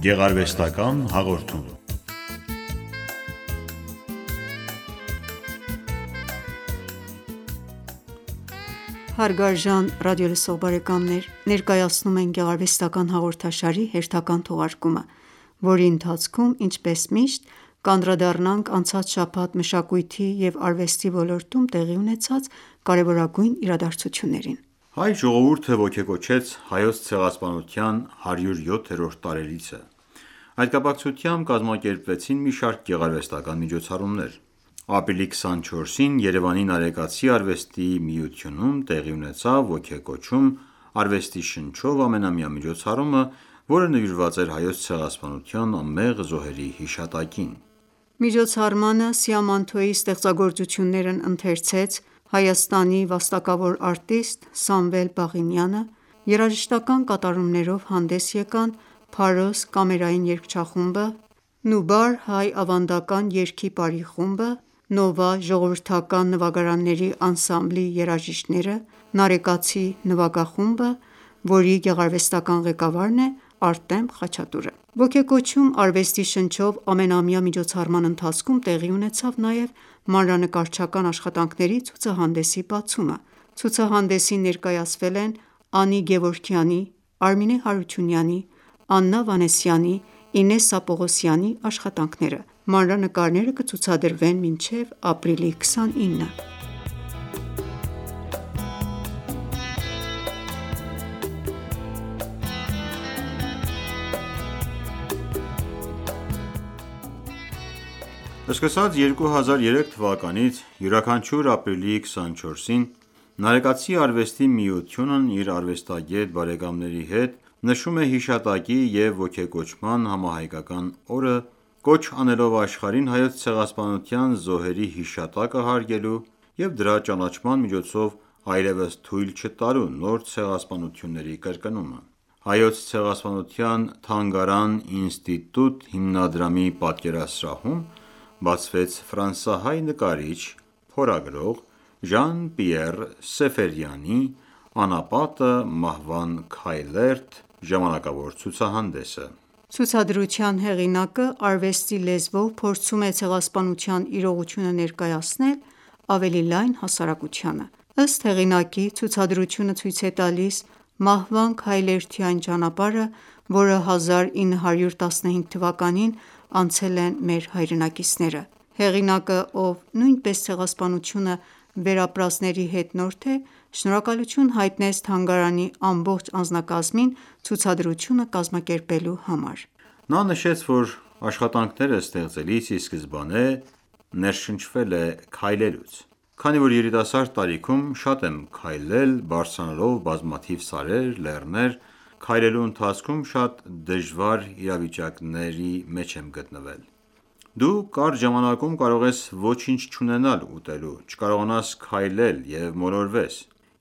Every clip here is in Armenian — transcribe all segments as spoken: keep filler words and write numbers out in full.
Գեղարվեստական հաղորդում։ Հարգարժան ռադիոլսող բարեկամներ, ներկայացնում ենք գեղարվեստական հաղորդաշարի հերթական թողարկումը, որի ընթացքում, ինչպես միշտ, կանդրադառնանք անցած շաբաթ մշակույթի և արվեստի ոլորտում տեղի ունեցած կարևորագույն իրադարձություններին։ Հայ ժողովուրդը ոգեկոչեց Հայոց ցեղասպանության հարյուր յոթերորդ տարելիցը։ Այդ կապակցությամբ կազմակերպվեցին մի շարք գեղարվեստական միջոցառումներ։ Ապրիլի քսանչորսին Երևանի Նարեկացի արվեստի միությունում տեղի ունեցավ ոգեկոչում արվեստի շնչով ամենամյա միջոցառումը, որը նվիրված էր Հայոց ցեղասպանության անմեղ զոհերի հիշատակին։ Միջոցառմանը սիամանթոյի ստեղծագործություններն ընթերցեց Հայաստանի վաստակավոր արտիստ Սամվել Բաղինյանը, երաժշտական կատարումներով հանդես եկան Փարոս կամերային երգչախումբը, Նուբար հայ ավանդական երգի պարի խումբը, Նովա ժողովրդական նվագարանների անսամբլի երաժիշտները, Նարեկացի նվագախումբը, որի գեղարվեստական ղեկավարն է Արտեմ Խաչատուրը։ Ոգեկոչում արվեստի շնչով ամենամյա միջոցառման ընթացքում տեղի ունեցավ նաև մանրանկարչական աշխատանքների ցուցահանդեսի բացումը։ Ցուցահանդեսին ներկայացվել են Անի Գևորգյանի, Արմինե Հարությունյանի, Աննա Վանեսյանի, Ինեսսա Պողոսյանի աշխատանքները։ Մանրանկարները կցուցադրվեն մինչև ապրիլի քսանինը։ Սկսած երկու հազար երեք թվականից յուրաքանչյուր ապրիլի քսանչորսին Նարեկացի արվեստի միությունն իր արվեստագետ բարեկամների հետ նշում է հիշատակի և ոգեկոչման համահայկական օրը, կոչ անելով աշխարհին Հայոց ցեղասպանության զոհերի հիշատակը հարգելու և դրա ճանաչման միջոցով այլևս թույլ չտալու նոր ցեղասպանությունների կրկնումը։ Հայոց ցեղասպանության թանգարան ինստիտուտ հիմնադրամի պատկերասրահում բացվեց ֆրանսահայ նկարիչ, փորագրող Ժան Պիեր Սեֆերյանի «Անապատը մահվան քայլերթ» ժամանակավոր ցուցահանդեսը։ Ցուցադրության հեղինակը արվեստի լեզվով փորձում է ցեղասպանության իրողությունը ներկայացնել ավելի լայն հասարակությանը։ Ըստ հեղինակի, ցուցադրությունը ցույց է տալիս մահվան քայլերթի այն ճանապարհը, որը հազար ինը հարյուր տասնհինգ թվականին անցել են մեր հայրենակիցները։ Հեղինակը, ով նույնպես ցեղասպանությունը վերապրածների հետնորդ է, շնորհակալություն հայտնեց թանգարանի ամբողջ անձնակազմին ցուցադրությունը կազմակերպելու համար։ Նա նշեց, որ աշխատանքները ստեղծելիս ի սկզբանե ներշնչվել է քայլելուց։ Քանի որ երիտասարդ տարիքում շատ եմ քայլել բարձրանալով բազմաթիվ սարեր, լեռներ, քայլելու ընթացքում շատ դժվար իրավիճակների մեջ եմ գտնվել։ Դու կարճ ժամանակում կարող ես ոչինչ չունենալ ուտելու, չկարողանաս քայլել և մոլորվես։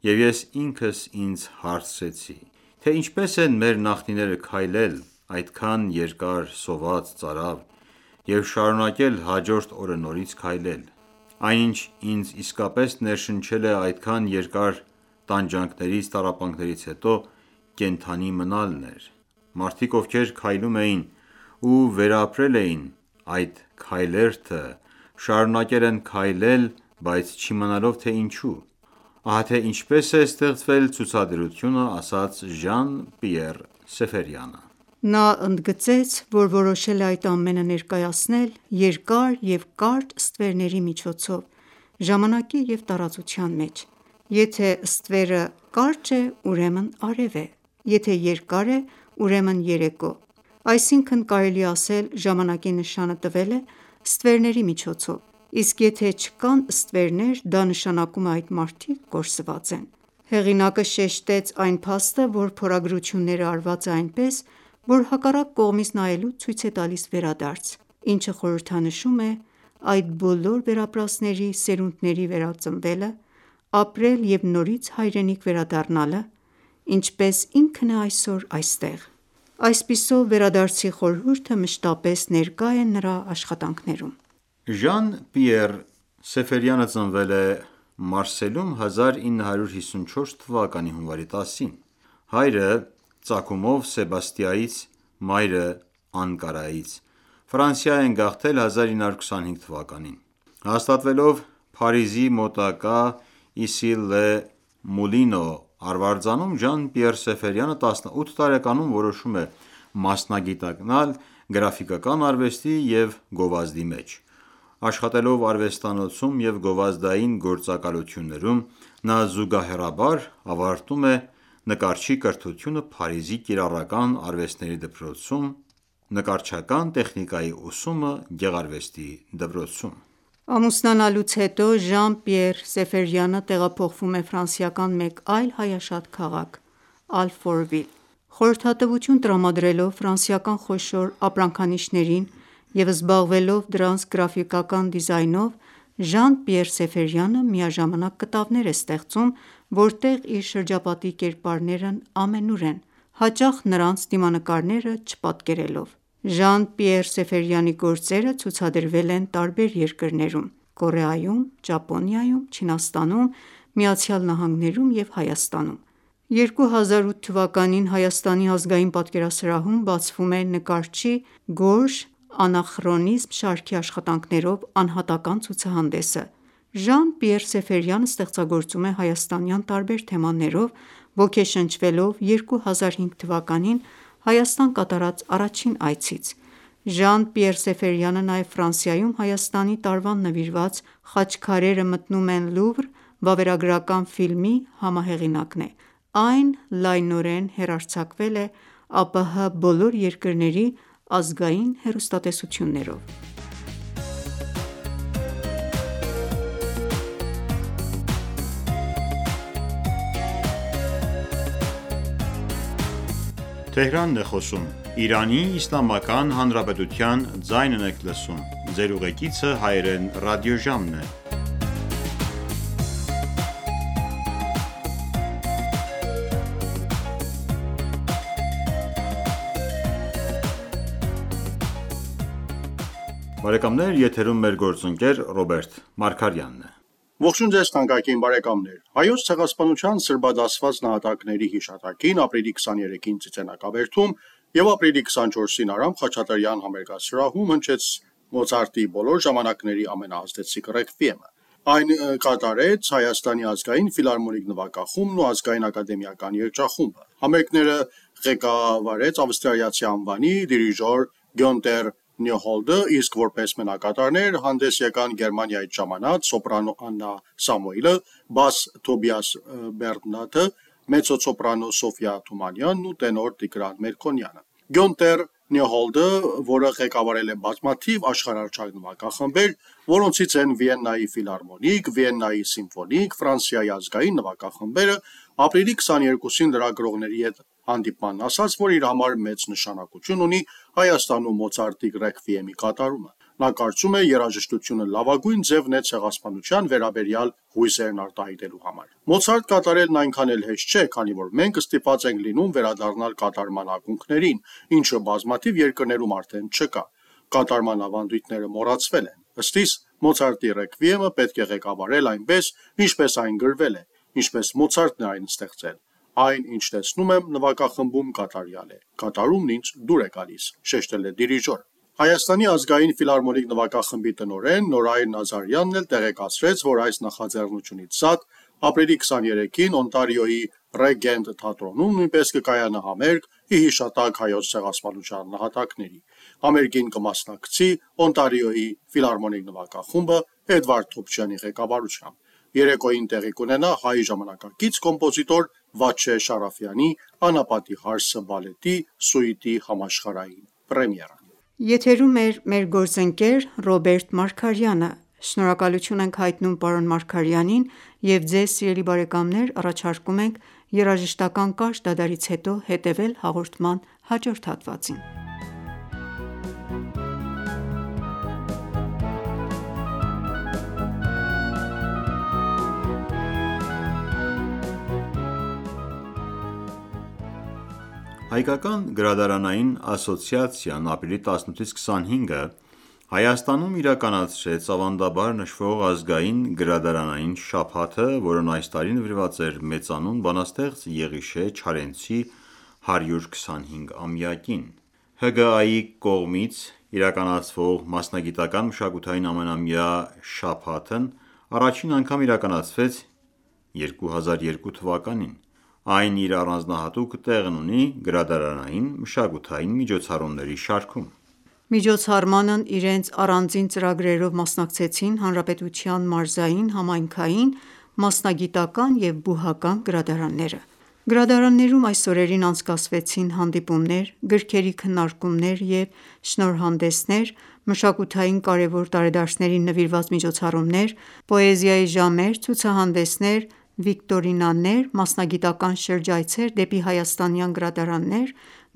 Եվ ես ինքս ինձ հարցրեցի, թե ինչպես են մեր նախնիները քայլել այդքան երկար սոված ծարավ և շարունակել հաջորդ օրը նորից քայլել։ Այնինչ ինձ իսկապես ներշնչել է այդքան երկար տանջանքներից, տառապանքներից հետո կենդանի մնալն էր։ Մարդիկ, ովքեր քայլում էին ու վերապրել էին այդ քայլերթը, շարունակել են քայլել, բայց չիմանալով, թե ինչու։ Ահա թե ինչպես է ստեղծվել ցուցադրությունը, ասաց Ժան Պիեր Սեֆերյանը։ Նա ընդգծեց, որ որոշել է այդ ամենը ներկայացնել երկար և կարճ ստվերների միջոցով, ժամանակի և տարածության մեջ։ Եթե ստվերը կարճ է, ուրեմն արև է, եթե երկար է, ուրեմն երեկո։ Այսինքն կարելի է ասել ժամանակի նշանը տվել է ստվերների միջոցով, իսկ եթե չկան ստվերներ, դա նշանակում է այդ մարդիկ կորսված են։ Հեղինակը շեշտեց այն փաստը, որ փորագրությունները արված է այնպես, որ հակառակ կողմից նայելուց ցույց է տալիս վերադարձ, ինչը խորհրդանշում է այդ բոլոր վերապրածների սերունդների վերածնվելը, ապրել և նորից հայրենիք վերադառնալը, ինչպես ինքն է այսօր այստեղ։ Այսպիսով, վերադարձի խորհուրդը մշտապես ներկա է նրա աշխատանքներում։ Ժան Պիեր Սեֆերյանը ծնվել է Մարսելում հազար ինը հարյուր հիսունչորս թվականի հունվարի տասին։ Հայրը ծագումով Սեբաստիայից, մայրը Անկարայից։ Ֆրանսիա են գաղթել հազար ինը հարյուր քսանհինգ թվականին։ Հաստատվելով Փարիզի մոտակա Իսսի-լե-Մուլինո արվարձանում, Ժան-Պիեր Սեֆերյանը տասնութ տարեկանում որոշում է մասնագիտանալ գրաֆիկական արվեստի և գովազդի մեջ։ Աշխատելով արվեստանոցում և գովազդային գործակալություններում, նա զուգահեռաբար ավարտում է նկարչի կրթությունը Փարիզի կիրառական արվեստների դպրոցում, նկարչական տեխնիկայի ուսումը գեղարվեստի դպրոցում։ Ամուսնանալուց հետո Ժան-Պիեր Սեֆերյանը տեղափոխվում է ֆրանսիական մեկ այլ հայաշատ քաղաք՝ Ալֆորվիլ։ Խորհրդատվություն տրամադրելով ֆրանսիական խոշոր ապրանքանիշերին և զբաղվելով դրանց գրաֆիկական դիզայնով, Ժան-Պիեր Սեֆերյանը միաժամանակ կտավներ է ստեղծում, որտեղ իր շրջապատի կերպարներն ամենուր են, հաճախ նրանց դիմանկարները չպատկերելով։ Ժան-Պիեր Սեֆերյանի գործերը ցուցադրվել են տարբեր երկրներում՝ Կորեայում, Ճապոնիայում, Չինաստանում, ԱՄՆ-ում և Հայաստանում։ երկու հազար ութ թվականին Հայաստանի ազգային պատկերասրահում բացվում է նկարչի «Գորժ անախրոնիզմ» շարքի աշխատանքներով անհատական ցուցահանդեսը։ Ժան-Պիեր Սեֆերյանը ստեղծագործում է հայաստանյան տարբեր թեմաներով՝ ոգեշնչվելով երկու հազար հինգ թվականին Հայաստան կատարած առաջին այցից։ Ժան-Պիեր Սեֆերյանը նաև Ֆրանսիայում Հայաստանի տարվան նվիրված «Խաչքարերը մտնում են Լուվր» վավերագրական ֆիլմի համահեղինակն է։ Այն լայնորեն հեռարձակվել է ԱՊՀ բոլոր երկրների ազգային հեռուստատեսություններով։ Բարեկամներ, եթերում մեր գործընկեր Ռոբերտ Մարգարյանն է։ Ողջույն ձեզ թանկագին բարեկամներ։ Հայոց ցեղասպանության սրբադասված նահատակների հիշատակին ապրիլի քսաներեքին Ծիծեռնակաբերդում և ապրիլի քսանչորսին Արամ Խաչատրյան համերգասրահում հնչեց Մոցարտի բոլոր ժամանակների ամենաազդեցիկ ռեքվիեմը։ Այն կատարեց Հայաստանի ազգային ֆիլհարմոնիկ նվագախումբն ու ազգային ակադեմիական երգչախումբը։ Համերգները ղեկավարեց ավստրալիացի անվանի դիրիժոր Գյոնտեր Նյուհոլդը, իսկ որպես մենակատարներ հանդես եկան Գերմանիայից ժամանած սոպրանո Աննա Սամուելը, բաս Թոբիաս Բերնատը, մեծոցոպրանո Սոֆիա Թումանյանն ու տենոր Տիգրան Մերկոնյանը։ Գյոնտեր Նյուհոլդը, որը ղեկավարել է բազմաթիվ աշխարհահռչակ նվագախմբեր, որոնցից են Վիեննայի ֆիլհարմոնիկ, Վիեննայի սիմֆոնիկ, Ֆրանսիայի ազգային նվագախմբերը, ապրիլի քսաներկուսին լրագրողների հետ հանդիպմանն ասաց, որ իր համար մեծ նշանակություն ունի Հայաստանում Մոցարտի ռեքվիեմի կատարումը։ Նա կարծում է, երաժշտությունը լավագույն ձևն է ցեղասպանության վերաբերյալ հույսերն արտահայտելու համար։ Մոցարտ կատարելն այնքան էլ հեշտ չէ, քանի որ մենք ստիպված ենք լինում վերադառնալ կատարման ակունքներին, ինչը բազմաթիվ երկրներում արդեն չկա։ Կատարման ավանդույթները մոռացվել են։ Ըստիս Մոցարտի ռեքվիեմը պետք է ղեկավարել այնպես, ինչպես այն գրվել է, ինչպես Մոցարտն է այն ստեղծել։ Այն, ինչ տեսնում եմ նվագախմբում, կատարյալ է։ Կատարումն ինձ դուր է գալիս, շեշտել է դիրիժորը։ Հայաստանի ազգային ֆիլհարմոնիկ նվագախմբի տնօրեն Նորայր Նազարյանն էլ տեղեկացրեց, որ այս նախաձեռնությունից զատ ապրիլի քսաներեքին Օնտարիոյի Ռեգենտ թատրոնում նույնպես կկայանա համերգ ի հիշատակ հայոց ցեղասպանության նահատակների։ Համերգին կմասնակցի Օնտարիոյի ֆիլհարմոնիկ նվագախումբը Էդվարդ Թոփչյանի ղեկավարությամբ։ Երեկոյին տեղի կունենա հայ ժամանակակից կոմպոզիտոր Վաչե Շարաֆյանի «Անապատի հարսը» բալետի սուիտի համաշխարհային պրեմիերան։ Եթերում է մեր գործընկեր Ռոբերտ Մարգարյանը։ Շնորհակալություն ենք հայտնում պարոն Մարգարյանին և ձեզ սիրելի բարեկամներ առաջարկում ենք երաժշտական կարճ դադարից հետո հետևել հաղորդման հաջորդ հատվածին։ Հայկական գրադարանային ասոցիացիան ապրիլի տասնութից քսանհինգը Հայաստանում իրականացրեց ավանդաբար նշվող ազգային գրադարանային շաբաթը, որն այս տարի նվիրված էր մեծանուն բանաստեղծ Եղիշե Չարենցի հարյուր քսանհինգ ամյակին։ Հ Գ Ա-ի կողմից իրականացվող մասնագիտական մշակութային ամենամյա շաբաթն առաջին անգամ իրականացվեց երկու հազար երկու թվականին: Այն իր առանձնահատուկ տեղն ունի գրադարանային մշակութային միջոցառումների շարքում: Միջոցառմանն իրենց առանձին ծրագրերով մասնակցեցին հանրապետության մարզային, համայնքային, մասնագիտական և բուհական գրադարանները: Գրադարաններում այս օրերին անցկացվեցին հանդիպումներ, գրքերի քննարկումներ և շնորհանդեսներ, մշակութային կարևոր տարեդարձներին նվիրված միջոցառումներ, պոեզիայի ժամեր, ցուցահանդեսներ, վիկտորինաներ, մասնագիտական շրջայցեր դեպի հայաստանյան գրադարաններ,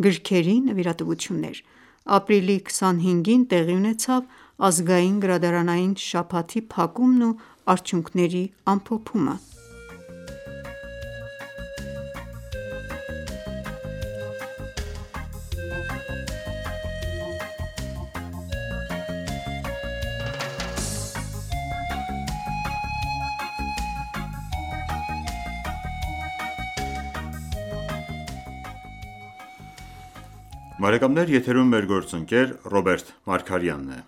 գրքերի նվիրատվություններ: Ապրիլի քսանհինգին տեղի ունեցավ ազգային գրադարանային շաբաթի փակումն ու արդյունքների ամփոփումը: Ռոբերտ Մարգարյանն է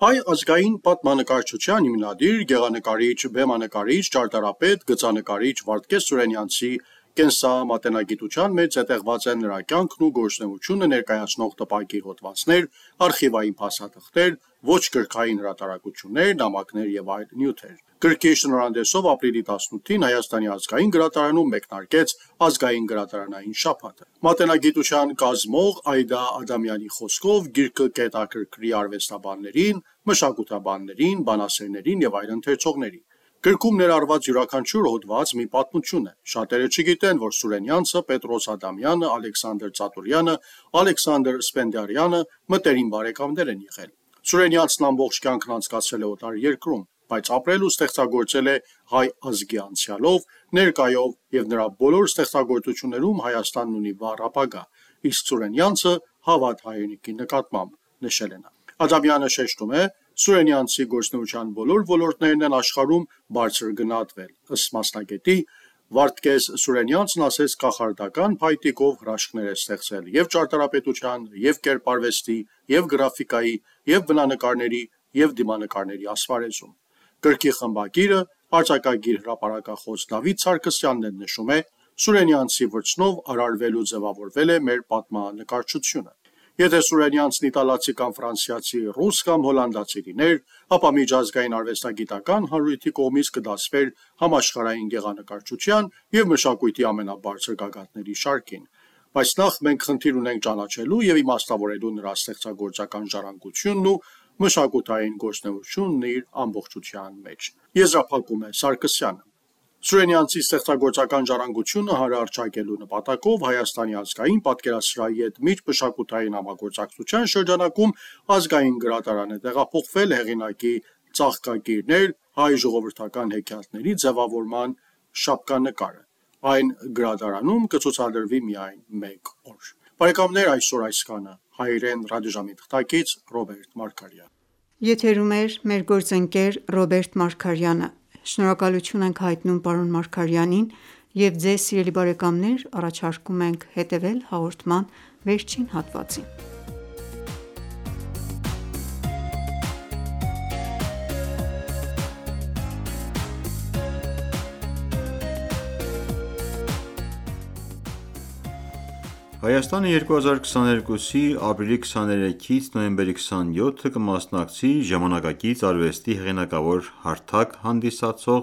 Հայ ազգային պատմանկարչության հիմնադիր, գեղանկարիչ, բեմանկարիչ, ճարտարապետ, գծանկարիչ Վարդգես Սուրենյանցի կենսամատենագիտության մեջ զետեղված են նրա կյանքն ու գործունեությունը ներկայացնող տպագիր հոդվածներ, արխիվային փաստաթղթեր, ոչ գրքային հրատարակություններ, նամակներ և այլ նյութեր: Գրքի շնորհանդեսով ապրիլի տասնութին Հայաստանի ազգային գրադարանում մեկնարկեց ազգային գրադարանային շաբաթը: Մատենագիտության կազմող Այդա Ադամյանի խոսքով գիրքը կհետաքրքրի արվեստաբաններին, մշակութաբաններին, բանասերներին և այլ ընթերցողների: Գրքում ներառված յուրաքանչյուր հոդված մի պատմություն է: Շատերը չգիտեն, որ Սուրենյանցը, Պետրոս Ադամյանը, Ալեքսանդր Ծատուրյանը, Ալեքսանդր Սպենդիարյանը մտերիմ բարեկամներ են եղել: Սուրենյանցն ամբողջ կյանքն անցկացրել է օտարերկրում, բայց ապրել ու ստեղծագործել է հայ ազգի անցյալով, ներկայով և նրա բոլոր ստեղծագործություններում Հայաստանն ունի վառ ապագա, իսկ Սուրենյանցը հավատ հայրենիքի նկատմամբ: Ադամյանը շեշտում է. Սուրենյանցի գործունեության բոլոր ոլորտներն են աշխարհում բարձր գնահատվել: Ըստ մասնագետի, Վարդգես Սուրենյանցն ասես կախարդական փայտիկով հրաշքներ է ստեղծել և ճարտարապետության, և կերպարվեստի, և գրաֆիկայի, և բնանկարների և դիմանկարների ասպարեզում: Գրքի խմբագիրը, արձակագիր հրապարակախոս Դավիթ Սարգսյանն էլ նշում է. Սուրենյանցի վրձնով արարվել ու ձևավորվել է մեր պատմանկարչությունը: Եթե Սուրենյանցն իտալացի կամ ֆրանսիացի, ռուս կամ հոլանդացի լիներ, ապա միջազգային արվեստագիտական հանրույթի կողմից կդասվեր համաշխարհային գեղանկարչության և մշակույթի ամենաբարձր գագաթների շարքին: Բայց նախ մենք խնդիր ունենք ճանաչելու և իմաստավորելու նրա ստեղծագործական ժառանգությունն ու մշակութային գործունեությունն իր ամբողջության մեջ: Եզրափակում է Սարգսյանը: Սուրենյանցի ստեղծագործական ժառանգությունը հանրահռչակելու նպատակով Հայաստանի ազգային պատկերասրահի հետ միջմշակութային համագործակցության շրջանակում Ազգային գրադարան է տեղափոխվել հեղինակի ծաղկագիրներ հայ ժողովրդական հեքիաթների ձևավորման շապկանկարը: Այն գրադարանում կցուցադրվի միայն մեկ օր: Այսօր այսքանը: Հայերեն ռադիոժամի թղթակից Ռոբերտ Մարգարյան: Եթերում էր մեր գործընկեր Ռոբերտ Մարգարյանը: Շնորհակալություն ենք հայտնում պարոն Մարգարյանին և Ձեզ սիրելի բարեկամներ առաջարկում ենք հետևել հաղորդման վերջին հատվածին: Հայաստանը երկու հազար քսաներկուսի ապրիլի քսաներեքից նոյեմբերի քսանյոթը կմասնակցի ժամանակակից արվեստի հեղինակավոր հարթակ հանդիսացող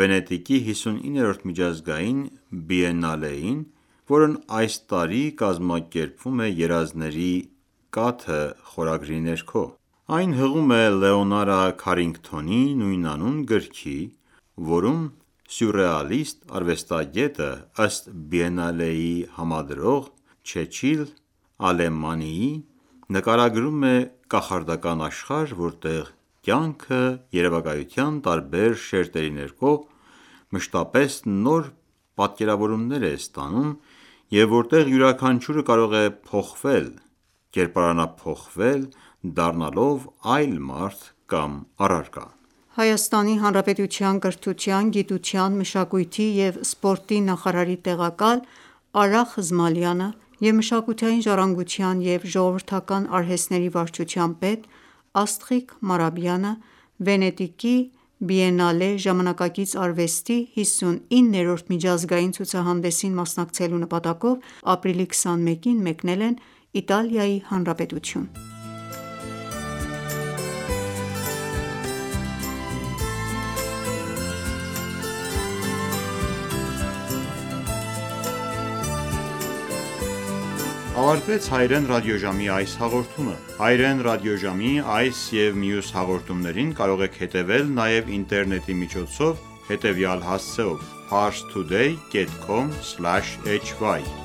Վենետիկի հիսունիններորդ միջազգային բիենալեին, որն այս տարի կազմակերպվում է «Երազների կաթը» խորագրի ներքո: Այն հղում է Լեոնարա Քարինգթոնի նույնանուն գրքի, որում սյուրռեալիստ արվեստագետը, ըստ բիենալեի համադրող Չեչիլ Ալեմանիի, նկարագրում է կախարդական աշխարհ, որտեղ կյանքը երևակայության տարբեր շերտերի ներքո մշտապես նոր պատկերավորումներ է ստանում և որտեղ յուրաքանչյուրը կարող է փոխվել, կերպարանափոխվել, դառնալով այլ մարդ կամ առարկա: Հայաստանի Հանրապետության կրթության, գիտության, մշակույթի և սպորտի նախարարի տեղակալ Արա Խզմալյանը և մշակութային ժառանգության և ժողովրդական արհեստների վարչության պետ Աստղիկ Մարաբյանը Վենետիկի Բիենալե ժամանակակից արվեստի հիսունիններորդ միջազգային ցուցահանդեսին մասնակցելու նպատակով ապրիլի քսանմեկին մեկնել են Իտալիայի Հանրապետություն: Ավարտվեց հայրեն ռադիոժամի այս հաղորդումը: Հայրեն ռադիոժամի այս և մյուս հաղորդումներին կարող եք հետևել նաև ինտերնետի միջոցով հետևյալ հասցեով՝ parstoday.com/hy